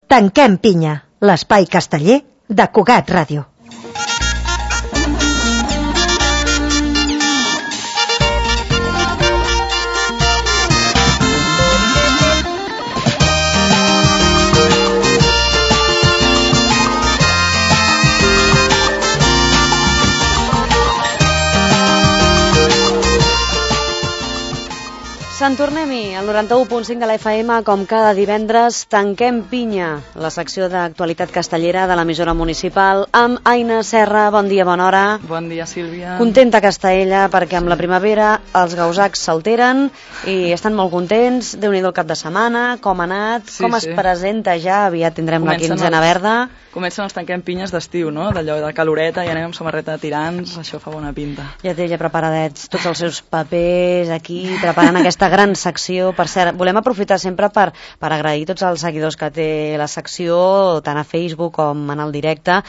Tanquem pinya, l'espai casteller de Cugat Ràdio. Sant Tornem-hi, al 91.5 de la FM, com cada divendres, Tanquem pinya, la secció d'actualitat castellera de l'emissora municipal, amb Aina Serra. Bon dia, bona hora. Bon dia, Sílvia. Contenta Castaella, perquè amb la primavera els gausacs s'alteren i estan molt contents. Déu-n'hi-do el cap de setmana, com ha anat, com es presenta ja, aviat tindrem la quinzena verda. Comencen els tanquem pinyes d'estiu, no? D'allò de caloreta, i anem amb samarreta de tirants, això fa bona pinta. Ja té ja preparadets tots els seus papers aquí, preparant aquesta gran secció. Per cert, volem aprofitar sempre per agrair tots els seguidors que té la secció, tant a Facebook com en el directe,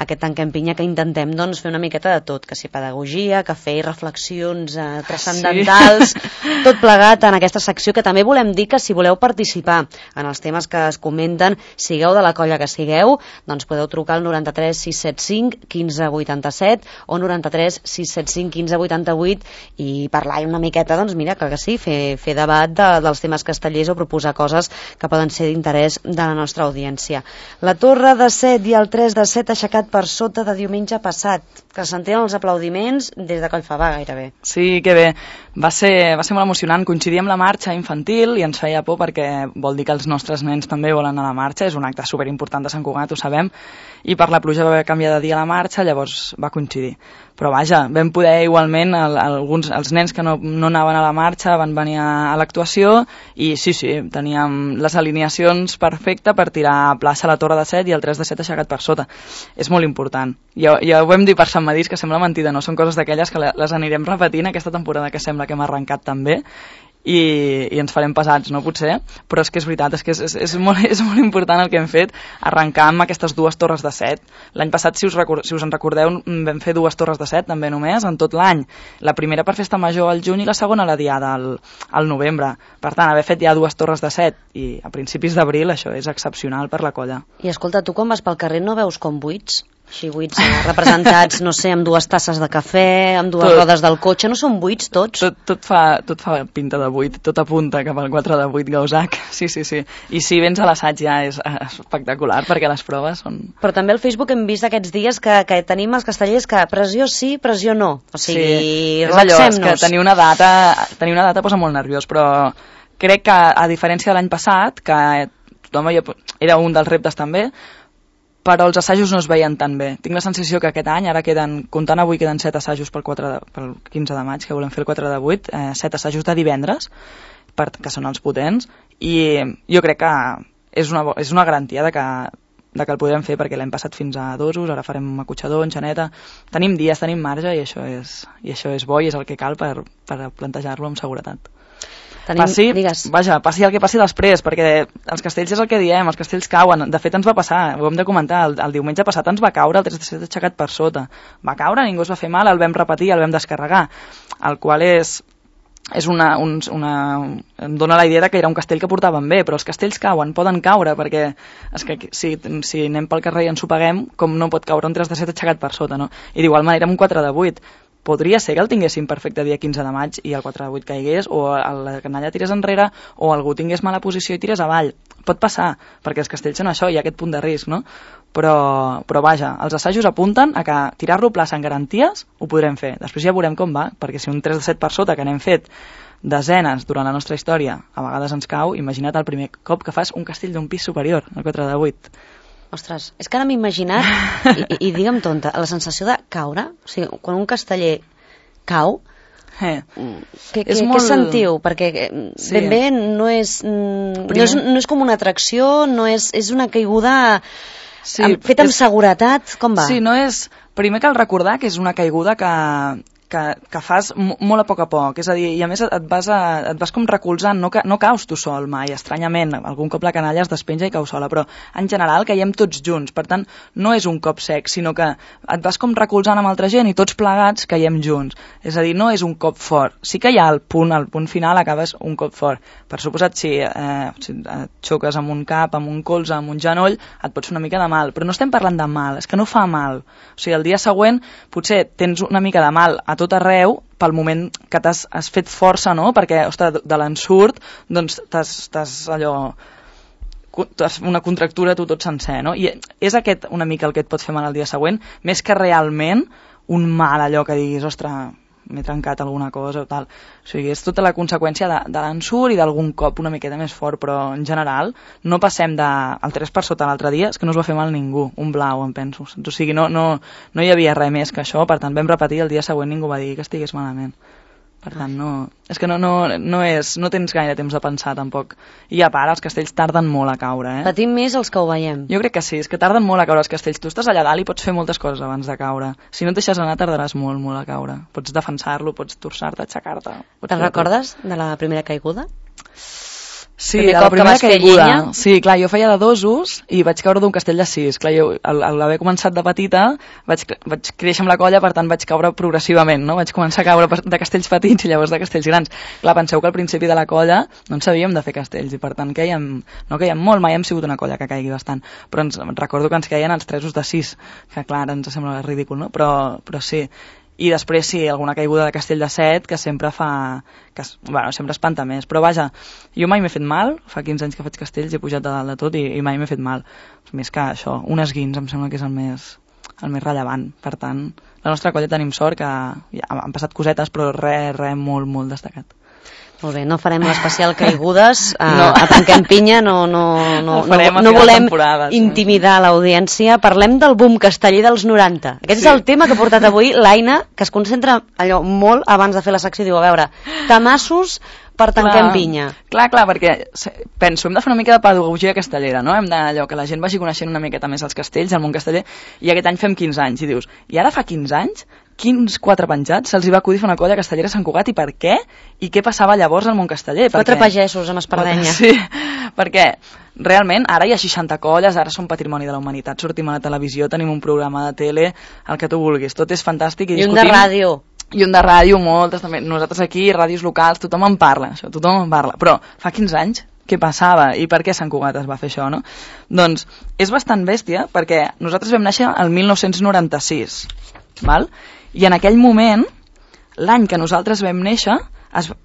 aquest Tanquem pinya, que intentem doncs, fer una miqueta de tot, que si pedagogia, cafè i reflexions transcendentals, tot plegat en aquesta secció, que també volem dir que si voleu participar en els temes que es comenten, sigueu de la colla que sigueu, doncs podeu trucar al 93 675 15 87 o 93 675 15 88 i parlar una miqueta, doncs mira, que sí, fer debat dels temes castellers o proposar coses que poden ser d'interès de la nostra audiència. La Torre de Set i el 3 de Set aixecat per sota de diumenge passat, que sentien els aplaudiments des de Collfabà gairebé. Sí, que bé. Va ser molt emocionant. Coincidir amb la marxa infantil i ens feia por perquè vol dir que els nostres nens també volen anar a la marxa. És un acte superimportant de Sant Cugat, ho sabem, i per la pluja va canviar de dia a la marxa, llavors va coincidir. Però vaja, vam poder igualment, els nens que no anaven a la marxa van venir a l'actuació i sí, teníem les alineacions perfectes per tirar a plaça la Torre de Set i el 3 de Set aixecat per sota. És molt important. Ja ho vam dir per Sant Madís, que sembla mentida, no? Són coses d'aquelles que les anirem repetint aquesta temporada, que sembla que hem arrencat també, i ens farem pesats, no potser, però és que és veritat, és molt important el que hem fet, arrencar amb aquestes dues torres de Set. L'any passat, si us en recordeu, vam fer dues torres de Set també només en tot l'any, la primera per festa major al juny i la segona a la diada al novembre. Per tant, haver fet ja dues torres de Set i a principis d'abril, això és excepcional per la colla. I escolta, tu quan vas pel carrer no veus com buits? Així buits representats, no sé, amb dues tasses de cafè, amb dues rodes del cotxe, no són buits tots? Tot fa pinta de buit, tot apunta cap al 4 de 8 gausac, sí. I si vens a l'assaig ja és espectacular, perquè les proves són... Però també al Facebook hem vist aquests dies que tenim els castellers que pressió sí, pressió no. O sigui, és allò, és que tenir una data posa molt nerviós, però crec que a diferència de l'any passat, que tothom era un dels reptes també, però els assajos no es veien tan bé. Tinc la sensació que aquest any, ara comptant avui, queden 7 assajos pel 15 de maig, que volem fer el 4 de 8, 7 assajos de divendres, que són els potents, i jo crec que és una garantia de que el podrem fer, perquè l'hem passat fins a dosos, ara farem acotxador, enxaneta, tenim dies, tenim marge, i això és bo i és el que cal per plantejar-lo amb seguretat. Passi el que passi després, perquè els castells és el que diem, els castells cauen. De fet ens va passar, ho hem de comentar, el diumenge passat ens va caure el 3 de Set aixecat per sota. Va caure, ningú es va fer mal, el vam repetir, el vam descarregar, el qual em dona la idea que era un castell que portaven bé, però els castells cauen, poden caure, perquè és que si anem pel carrer i ens ho paguem, com no pot caure un 3 de Set aixecat per sota, no? I d'igual manera amb un 4 de 8. Podria ser que el tinguéssim perfecte dia 15 de maig i el 4 de 8 caigués, o la canalla tirés enrere, o algú tingués mala posició i tirés avall. Pot passar, perquè els castells són això, hi ha aquest punt de risc, no? Però vaja, els assajos apunten a que tirar-lo a plaça en garanties ho podrem fer. Després ja veurem com va, perquè si un 3 de 7 per sota, que n'hem fet desenes durant la nostra història, a vegades ens cau, imagina't el primer cop que fas un castell d'un pis superior, el 4 de 8. Ostres, és que ara m'he imaginat, i digue'm tonta, la sensació de caure, o sigui, quan un casteller cau, què sentiu? Perquè ben bé no és com una atracció, és una caiguda feta amb seguretat, com va? Sí, primer cal recordar que és una caiguda que que fas molt a poc, és a dir, i a més et vas com recolzant, no caus tu sol mai, estranyament, algun cop la canalla es despenja i cau sola, però en general caiem tots junts, per tant no és un cop sec, sinó que et vas com recolzant amb altra gent i tots plegats caiem junts, és a dir, no és un cop fort, sí que hi ha al punt final acabes un cop fort, per suposat si et xoques amb un cap, amb un colze, amb un genoll, et pots fer una mica de mal, però no estem parlant de mal, és que no fa mal, o sigui, el dia següent potser tens una mica de mal a tot arreu pel moment que has fet força, no? Perquè, ostres, de l'ensurt, doncs t'has una contractura tu tot sencer, no? I és aquest una mica el que et pot fer mal el dia següent, més que realment un mal allò que diguis, ostres, m'he trencat alguna cosa o tal. O sigui, és tota la conseqüència de l'ensurt i d'algun cop una miqueta més fort, però en general no passem del 3 per sota l'altre dia, és que no us va fer mal ningú, un blau, em penso. O sigui, no hi havia res més que això, per tant vam repetir, el dia següent ningú va dir que estigués malament. Per tant, és que no tens gaire temps de pensar, tampoc. I a part, els castells tarden molt a caure, eh? Patim més els que ho veiem. Jo crec que sí, és que tarden molt a caure els castells. Tu estàs allà dalt i pots fer moltes coses abans de caure. Si no et deixes anar, tardaràs molt, molt a caure. Pots defensar-lo, pots torçar-te, aixecar-te. Te'n recordes de la primera caiguda? Sí, de la primera caiguda. Sí, clar, jo feia de 2 usos i vaig caure d'un castell de 6. Clar, jo, al haver començat de petita, vaig créixer amb la colla, per tant vaig caure progressivament, no? Vaig començar a caure de castells petits i llavors de castells grans. Clar, penseu que al principi de la colla no en sabíem de fer castells i per tant no caiem molt, mai hem sigut una colla que caigui bastant, però recordo que ens caien els 3 de 6, que clar, ara ens sembla ridícul, no? Però sí. I després sí, alguna caiguda de castell de 7 que sempre sempre espanta més, però vaja, jo mai m'he fet mal, fa 15 anys que faig castells, he pujat de dalt de tot i mai m'he fet mal, més que això, un esguins em sembla que és el més rellevant, per tant la nostra colla tenim sort que ja han passat cosetes però res molt, molt destacat. Molt bé, no farem l'especial caigudes, a Tanquem Pinya, no volem intimidar l'audiència. Parlem del boom casteller dels 90. Aquest és el tema que ha portat avui l'Aina, que es concentra allò molt abans de fer la secció. Diu, a veure, tamassos per Tanquem Pinya. Clar, perquè penso, hem de fer una mica de pedagogia castellera, no? Hem d'allò que la gent vagi coneixent una miqueta més els castells, el món casteller, i aquest any fem 15 anys, i dius, i ara fa 15 anys? Quins 4 penjats se'ls va acudir fer una colla castellera a Sant Cugat i per què? I què passava llavors al món casteller? 4 pagesos amb espardenya. Sí, perquè realment ara hi ha 60 colles, ara som patrimoni de la humanitat, sortim a la televisió, tenim un programa de tele, el que tu vulguis, tot és fantàstic i discutim. I un de ràdio. I un de ràdio, moltes també. Nosaltres aquí, ràdios locals, tothom en parla, això, tothom en parla. Però fa 15 anys què passava i per què Sant Cugat es va fer això, no? Doncs és bastant bèstia perquè nosaltres vam néixer el 1996, val? I en aquell moment, l'any que nosaltres vam néixer,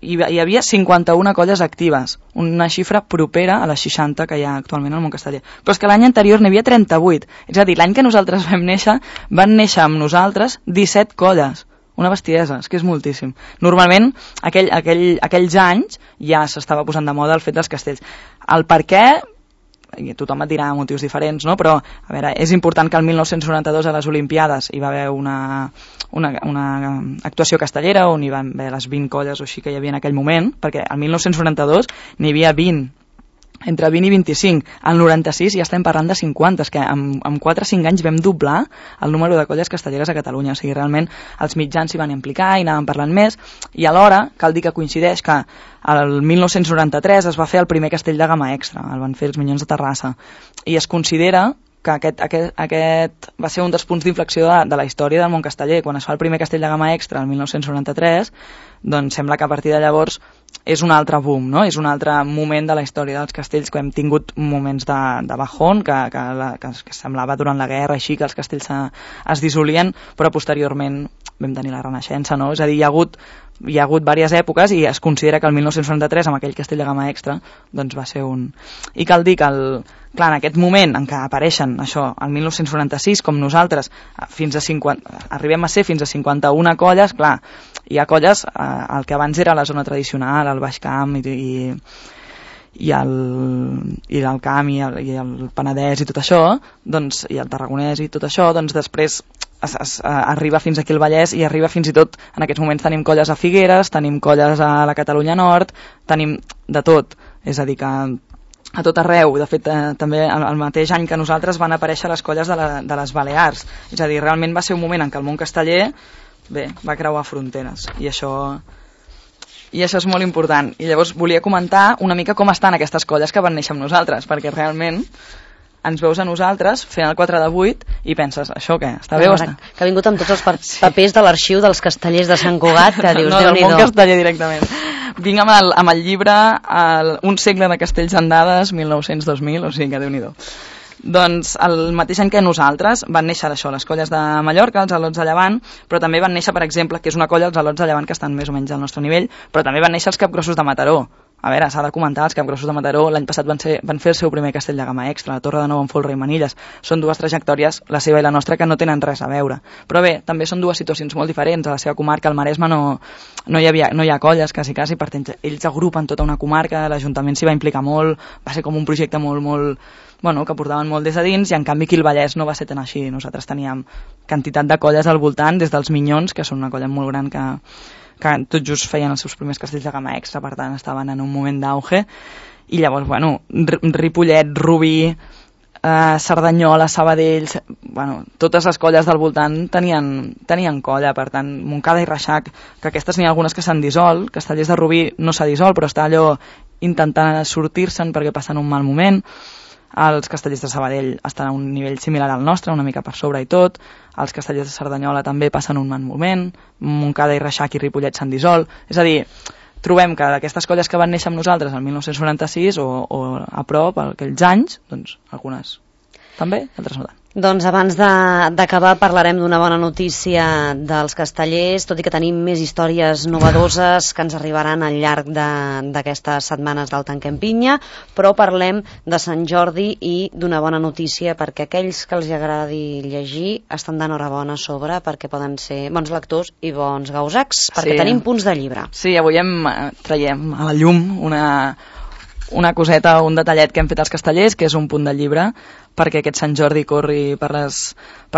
hi havia 51 colles actives, una xifra propera a les 60 que hi ha actualment al món casteller. Però és que l'any anterior n'hi havia 38, és a dir, l'any que nosaltres vam néixer, van néixer amb nosaltres 17 colles. Una bestiesa, és que és moltíssim. Normalment, aquells anys ja s'estava posant de moda el fet dels castells. El per què, tothom et dirà motius diferents, no? Però a veure, és important que el 1992 a les Olimpiades hi va haver una actuació castellera on hi van haver les 20 colles o així que hi havia en aquell moment, perquè el 1992 n'hi havia 20, entre 20 i 25. Al 96 ja estem parlant de 50, és que en 4 o 5 anys vam doblar el número de colles castelleres a Catalunya, o sigui, realment els mitjans s'hi van implicar i anàvem parlant més, i alhora cal dir que coincideix que el 1993 es va fer el primer castell de gamma extra, el van fer els Minyons de Terrassa, i es considera que aquest va ser un dels punts d'inflexió de la història del món casteller. Quan es fa el primer castell de gamma extra el 1993, doncs sembla que a partir de llavors és un altre boom, no? És un altre moment de la història dels castells, que hem tingut moments de bajón, que semblava durant la guerra així, que els castells es dissolien, però posteriorment vam tenir la Renaixença, no? És a dir, hi ha hagut diverses èpoques i es considera que el 1993, amb aquell castell de gamma extra, doncs va ser un... I cal dir que clar, en aquest moment en què apareixen això, el 1996, com nosaltres, arribem a ser fins a 51 colles, clar, hi ha colles, el que abans era la zona tradicional, el Baix Camp i el Camp i el Penedès i tot això, doncs, i el Tarragonès i tot això, doncs després arriba fins aquí el Vallès i arriba fins i tot, en aquests moments tenim colles a Figueres, tenim colles a la Catalunya Nord, tenim de tot, és a dir que a tot arreu. De fet, també el mateix any que nosaltres van aparèixer les colles de les Balears, és a dir, realment va ser un moment en què el món casteller bé, va creuar fronteres, i això és molt important. I llavors volia comentar una mica com estan aquestes colles que van néixer amb nosaltres, perquè realment ens veus a nosaltres fent el 4 de 8 i penses, això què? Està bé o està? Que ha vingut amb tots els papers de l'arxiu dels castellers de Sant Cugat, que dius, no, del Déu-n'hi-do. món casteller directament. Vinc amb el llibre Un segle de castells en dades, 1900-2000, o sigui que Déu-n'hi-do. Doncs el mateix any que nosaltres van néixer això, les colles de Mallorca, els Al·lots de Llevant, però també van néixer, per exemple, que és una colla, els Al·lots de Llevant, que estan més o menys al nostre nivell, però també van néixer els Capgrossos de Mataró. A veure, s'ha de comentar, els Capgrossos de Mataró l'any passat van fer el seu primer castell de gamma extra, la Torre de Nou amb Folre i Manilles. Són dues trajectòries, la seva i la nostra, que no tenen res a veure. Però bé, també són dues situacions molt diferents. A la seva comarca, al Maresme, no hi ha colles, quasi, per tant, ells agrupen tota una comarca, l'Ajuntament s'hi va implicar molt, va ser com un projecte molt que portaven molt des de dins, i en canvi aquí el Vallès no va ser tan així. Nosaltres teníem quantitat de colles al voltant, des dels Minyons, que són una colla molt gran que tot just feien els seus primers castells de gamma extra, per tant estaven en un moment d'auge, i llavors, Ripollet, Rubí, Cerdanyola, Sabadell, totes les colles del voltant tenien colla, per tant, Montcada i Reixac, que aquestes n'hi ha algunes que s'han dissolt, Castellers de Rubí no s'ha dissolt, però està allò intentant sortir-se'n perquè passen un mal moment. Els castellers de Sabadell estan a un nivell similar al nostre, una mica per sobre i tot. Els castellers de Cerdanyola també passen un mal moment. Montcada i Reixac i Ripollet s'han dissolt. És a dir, trobem que d'aquestes colles que van néixer amb nosaltres el 1996 o a prop, aquells anys, doncs algunes també, altres no tant. Doncs abans d'acabar parlarem d'una bona notícia dels castellers, tot i que tenim més històries novedoses que ens arribaran al llarg d'aquestes setmanes del Tanquem Pinya, però parlem de Sant Jordi i d'una bona notícia perquè aquells que els agradi llegir estan d'enhorabona a sobre, perquè poden ser bons lectors i bons gausacs, perquè tenim punts de llibre. Sí, avui traiem a la llum una coseta, un detallet que hem fet als castellers, que és un punt de llibre, perquè aquest Sant Jordi corri per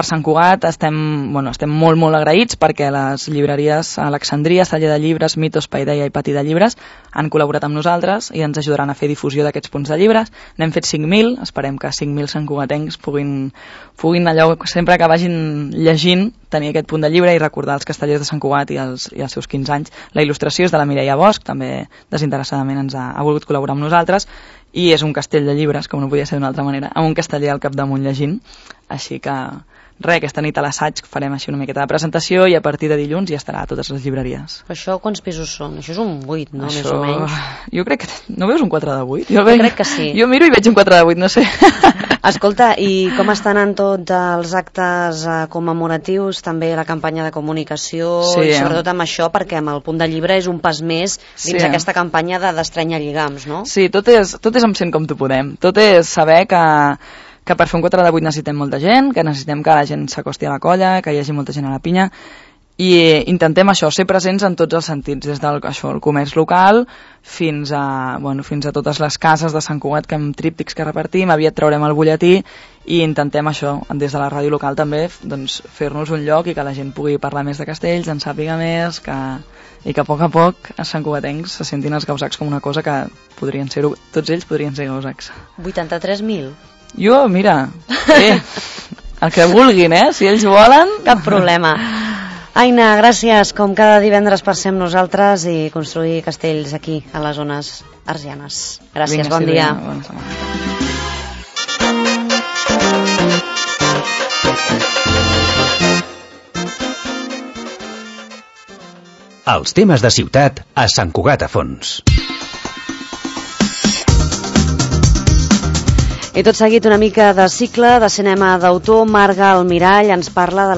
Sant Cugat. Estem molt, molt agraïts perquè les llibreries Alexandria, Celler de Llibres, Mitos, Paideia i Pati de Llibres han col·laborat amb nosaltres i ens ajudaran a fer difusió d'aquests punts de llibres. N'hem fet 5.000, esperem que 5.000 santcugatencs puguin allò, sempre que vagin llegint, tenir aquest punt de llibre i recordar els castellers de Sant Cugat i els seus 15 anys. La il·lustració és de la Mireia Bosch, també desinteressadament ens ha volgut col·laborar amb nosaltres, i és un castell de llibres, com no podia ser d'una altra manera, amb un casteller al capdamunt llegint. Així que aquesta nit a l'assaig farem així una miqueta de presentació i a partir de dilluns ja estarà a totes les llibreries. Això quants pisos són? Això és un 8, no? Més o menys. Jo crec que... No veus un 4 de 8? Jo crec que sí. Jo miro i veig un 4 de 8, no sé. Escolta, i com estan en tots els actes commemoratius, també la campanya de comunicació, i sobretot amb això, perquè amb el punt de llibre és un pas més dins aquesta campanya d'estrènyer lligams, no? Sí, tot és amb Sent com tu podem. Tot és saber que per fer un 4 de 8 necessitem molta gent, que necessitem que la gent s'acosti a la colla, que hi hagi molta gent a la pinya, i intentem això, ser presents en tots els sentits, des del comerç local fins a totes les cases de Sant Cugat, que amb tríptics que repartim, aviat traurem el butlletí, i intentem això, des de la ràdio local també, doncs, fer-nos un lloc i que la gent pugui parlar més de castells, en sàpiga més, i que a poc els santcugatencs se sentin els gausacs com una cosa que podrien ser-ho, tots ells podrien ser gausacs. 83.000? Jo, mira, el que vulguin, si ells volen... Cap problema. Aina, gràcies, com cada divendres per ser amb nosaltres i construir castells aquí, a les zones arsianes. Gràcies, bon dia. Bona setmana. Els temes de ciutat a Sant Cugat a Fons. I tot seguit una mica de cicle de cinema d'autor. Marga Almirall ens parla de la